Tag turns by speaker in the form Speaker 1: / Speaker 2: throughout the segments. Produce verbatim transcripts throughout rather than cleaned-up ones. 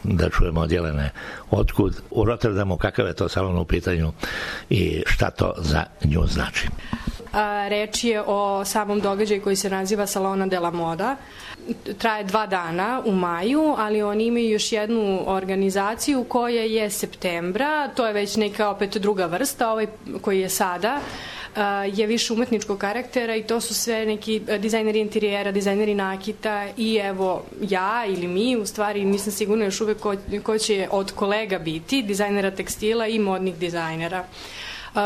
Speaker 1: da čujemo od Jelene otkud u Rotterdamu, kakav je to salon u pitanju i šta to za nju znači.
Speaker 2: A, reč je o samom događaju koji se naziva Salona de la Moda. Traje dva dana u maju, ali oni imaju još jednu organizaciju koja je septembra, to je već neka opet druga vrsta, ovaj koji je sada je više umetničkog karaktera i to su sve neki dizajneri interijera, dizajneri nakita i evo ja ili mi, u stvari nisam sigurna još uvek ko, ko će od kolega biti, dizajnera tekstila i modnih dizajnera.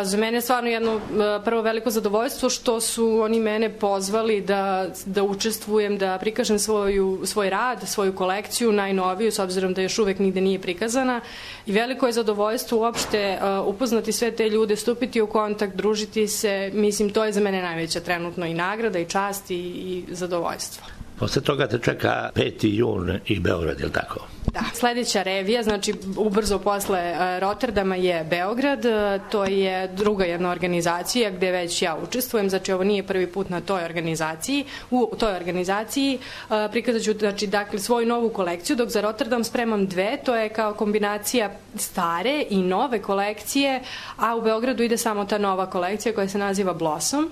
Speaker 2: Za mene je stvarno jedno prvo veliko zadovoljstvo što su oni mene pozvali da, da učestvujem, da prikažem svoju, svoj rad, svoju kolekciju, najnoviju, s obzirom da još uvek nigde nije prikazana. I veliko je zadovoljstvo uopšte upoznati sve te ljude, stupiti u kontakt, družiti se. Mislim, to je za mene najveća trenutno i nagrada i čast i, i zadovoljstvo.
Speaker 1: Posle toga te čeka peti jun i Beograd, je li tako?
Speaker 2: Da, sledeća revija, znači ubrzo posle Rotterdama je Beograd, to je druga jedna organizacija gde već ja učestvujem, znači ovo nije prvi put na toj organizaciji. U toj organizaciji prikazat ću znači, dakle, svoju novu kolekciju, dok za Rotterdam spremam dve, to je kao kombinacija stare i nove kolekcije, a u Beogradu ide samo ta nova kolekcija koja se naziva Blossom.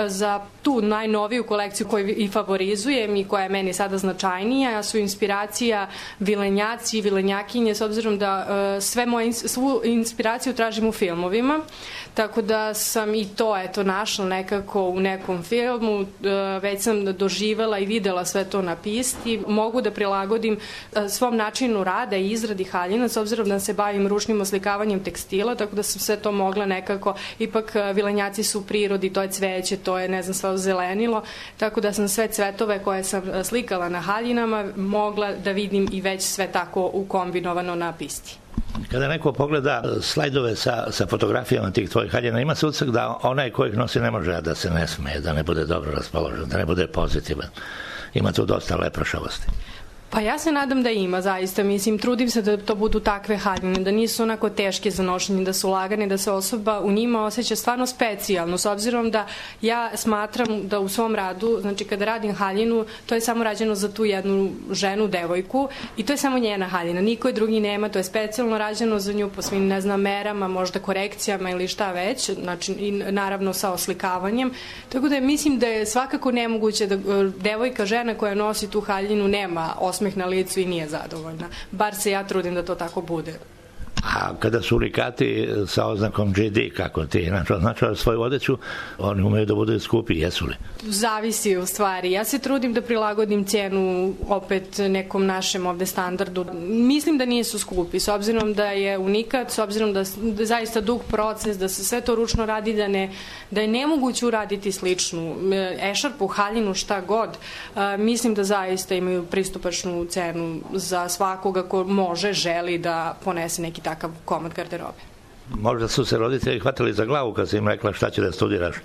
Speaker 2: Za tu najnoviju kolekciju koju i favorizujem i koja je meni sada značajnija su inspiracija vilenjaci i vilenjakinje, s obzirom da uh, sve moje, svu inspiraciju tražim u filmovima, tako da sam i to eto našla nekako u nekom filmu, uh, već sam doživela i videla sve to na pisti, mogu da prilagodim uh, svom načinu rada i izradi haljina, s obzirom da se bavim ručnim oslikavanjem tekstila, tako da sam sve to mogla nekako, ipak uh, vilenjaci su u prirodi, to je cveće, to je ne znam sve zelenilo, tako da sam sve cvetove koje sam uh, slikala na haljinama mogla da vidim i već sve tako ukombinovano na pisti.
Speaker 1: Kada neko pogleda slajdove sa, sa fotografijama tih tvojih haljina, ima se utisak da onaj ko ih nosi ne može da se ne smeje, da ne bude dobro raspoložen, da ne bude pozitivan. Ima tu dosta lepršavosti.
Speaker 2: Pa ja se nadam da ima, zaista. Mislim, trudim se da to budu takve haljine, da nisu onako teške za nošenje, da su lagane, da se osoba u njima osjeća stvarno specijalno, s obzirom da ja smatram da u svom radu, znači kada radim haljinu, to je samo rađeno za tu jednu ženu, devojku, i to je samo njena haljina, niko je drugi nema, to je specijalno rađeno za nju po svim, ne znam, merama, možda korekcijama ili šta već, znači i naravno sa oslikavanjem, tako da mislim da je svakako nemoguće da devojka, žena koja nosi tu haljinu nema osmeh na licu i nije zadovoljna. Bar se ja trudim da to tako bude.
Speaker 1: A kada su unikati sa oznakom G D, kako ti označava svoju odeću, oni umeju da budu skupi, jesu li?
Speaker 2: Zavisi u stvari. Ja se trudim da prilagodim cenu opet nekom našem ovde standardu. Mislim da nisu skupi, s obzirom da je unikat, s obzirom da je zaista dug proces, da se sve to ručno radi, da, ne, da je nemoguće uraditi sličnu ešarpu, haljinu, šta god. Mislim da zaista imaju pristupačnu cenu za svakoga ko može, želi da ponese neki takav komad garderobe.
Speaker 1: Možda su se roditelji hvatali za glavu kad si im rekla šta će da studiraš.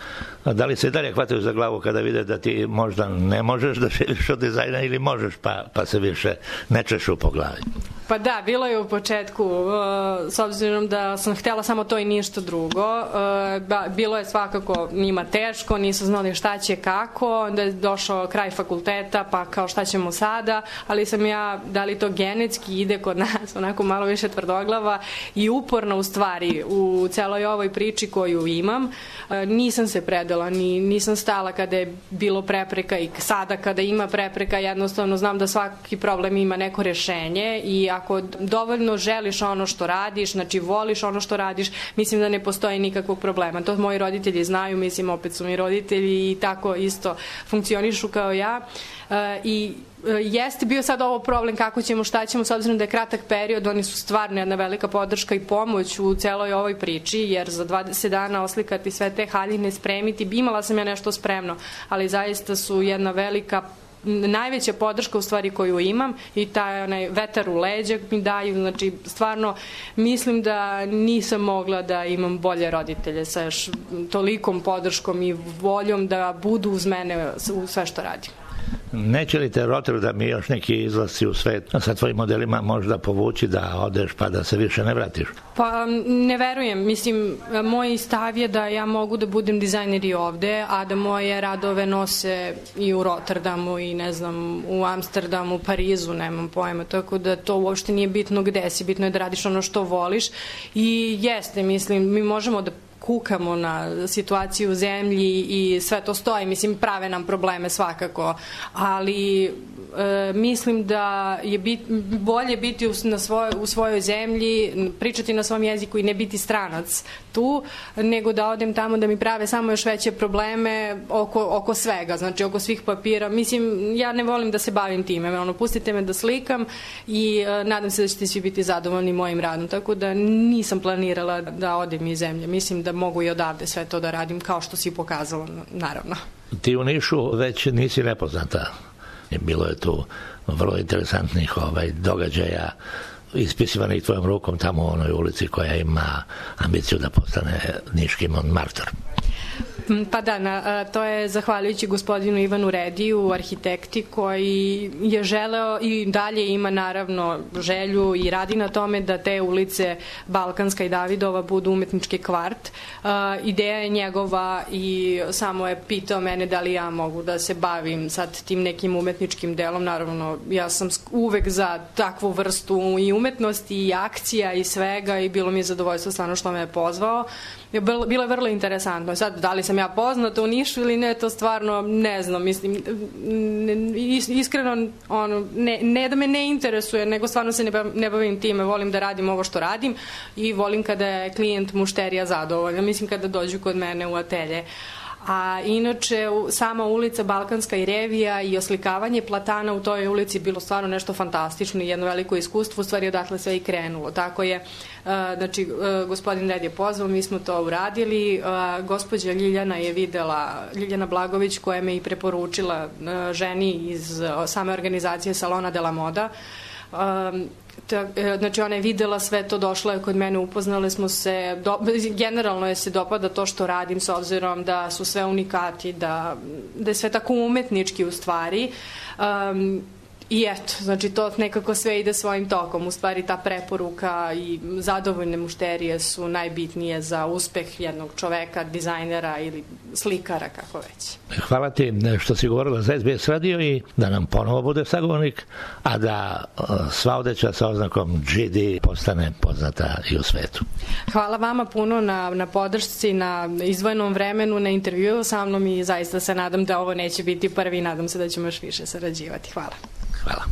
Speaker 1: Da li se i dalje hvataju za glavu kada vide da ti možda ne možeš da živiš od dizajna ili možeš pa, pa se više ne češu po glavi?
Speaker 2: Pa da, bilo je u početku, s obzirom da sam htela samo to i ništa drugo. Bilo je svakako njima teško, nisu znali šta će, kako, onda je došao kraj fakulteta, pa kao šta ćemo sada, ali sam ja, da li to genetski ide kod nas, onako malo više tvrdoglava i uporna u stvari u celoj ovoj priči koju imam. Nisam se predala, ni, nisam stala kada je bilo prepreka i sada kada ima prepreka, jednostavno znam da svaki problem ima neko rešenje i ako dovoljno želiš ono što radiš, znači voliš ono što radiš, mislim da ne postoji nikakvog problema. To moji roditelji znaju, mislim opet su mi roditelji i tako isto funkcionišu kao ja. E, I jeste bio sad ovo problem kako ćemo, šta ćemo, s obzirom da je kratak period, oni su stvarno jedna velika podrška i pomoć u celoj ovoj priči, jer za dvadeset dana oslikati sve te haljine, spremiti, imala sam ja nešto spremno, ali zaista su jedna velika najveća podrška u stvari koju imam i taj onaj vetar u leđa mi daju, znači stvarno mislim da nisam mogla da imam bolje roditelje sa još tolikom podrškom i voljom da budu uz mene u sve što radim.
Speaker 1: Neće li te Rotterdam i još neki izlasci u svet sa tvojim modelima možda povući da odeš pa da se više ne vratiš?
Speaker 2: Pa ne verujem, mislim, moj stav je da ja mogu da budem dizajner i ovde, a da moje radove nose i u Rotterdamu i ne znam, u Amsterdamu, Parizu, nemam pojma, tako da to uopšte nije bitno gde si, bitno je da radiš ono što voliš i jeste, mislim, mi možemo da kukamo na situaciju u zemlji i sve to stoji, mislim, prave nam probleme svakako, ali e, mislim da je bit, bolje biti u, na svoj, u svojoj zemlji, pričati na svom jeziku i ne biti stranac tu, nego da odem tamo da mi prave samo još veće probleme oko, oko svega, znači oko svih papira. Mislim, ja ne volim da se bavim time, ono, pustite me da slikam i e, nadam se da ćete svi biti zadovoljni mojim radom, tako da nisam planirala da odem iz zemlje. Mislim da mogu i odavde sve to da radim, kao što si pokazala, naravno.
Speaker 1: Ti u Nišu već nisi nepoznata. Bilo je tu vrlo interesantnih ovaj, događaja ispisivanih tvojom rukom tamo u onoj ulici koja ima ambiciju da postane niški Montmartre.
Speaker 2: Pa da, na, to je zahvaljujući gospodinu Ivanu Rediju, arhitekti, koji je želeo i dalje ima naravno želju i radi na tome da te ulice Balkanska i Davidova budu umetnički kvart. Uh, ideja je njegova i samo je pitao mene da li ja mogu da se bavim sad tim nekim umetničkim delom. Naravno, ja sam uvek za takvu vrstu i umetnosti i akcija i svega i bilo mi je zadovoljstvo stvarno što me je pozvao. Bilo je vrlo interesantno. Sad, da li sam ja poznata u Nišu ili ne, to stvarno ne znam. Mislim, iskreno, ono, ne, ne da me ne interesuje, nego stvarno se ne bavim time. Volim da radim ovo što radim i volim kada je klijent, mušterija zadovoljna. Mislim, kada dođu kod mene u atelje. A inače, sama ulica Balkanska i Revija i oslikavanje platana u toj ulici bilo stvarno nešto fantastično i jedno veliko iskustvo, u stvari odatle sve i krenulo. Tako je, znači, gospodin Red je pozvao, mi smo to uradili, gospođa Ljiljana je videla, Ljiljana Blagović, koja me i preporučila ženi iz same organizacije Salona de la Moda. Znači, ona je videla sve to, došla je kod mene, upoznali smo se, do, generalno je se dopada to što radim s obzirom da su sve unikati, da, da je sve tako umetnički u stvari. Um, I eto, znači to nekako sve ide svojim tokom. U stvari ta preporuka i zadovoljne mušterije su najbitnije za uspeh jednog čoveka, dizajnera ili slikara, kako već.
Speaker 1: Hvala ti što si govorila za S B S radio i da nam ponovo bude sagovornik, a da sva odeća sa oznakom G D postane poznata i u svetu.
Speaker 2: Hvala vama puno na, na podršci, na izdvojenom vremenu, na intervju sa mnom i zaista se nadam da ovo neće biti prvi i nadam se da ćemo još više sarađivati. Hvala.
Speaker 1: Hvala.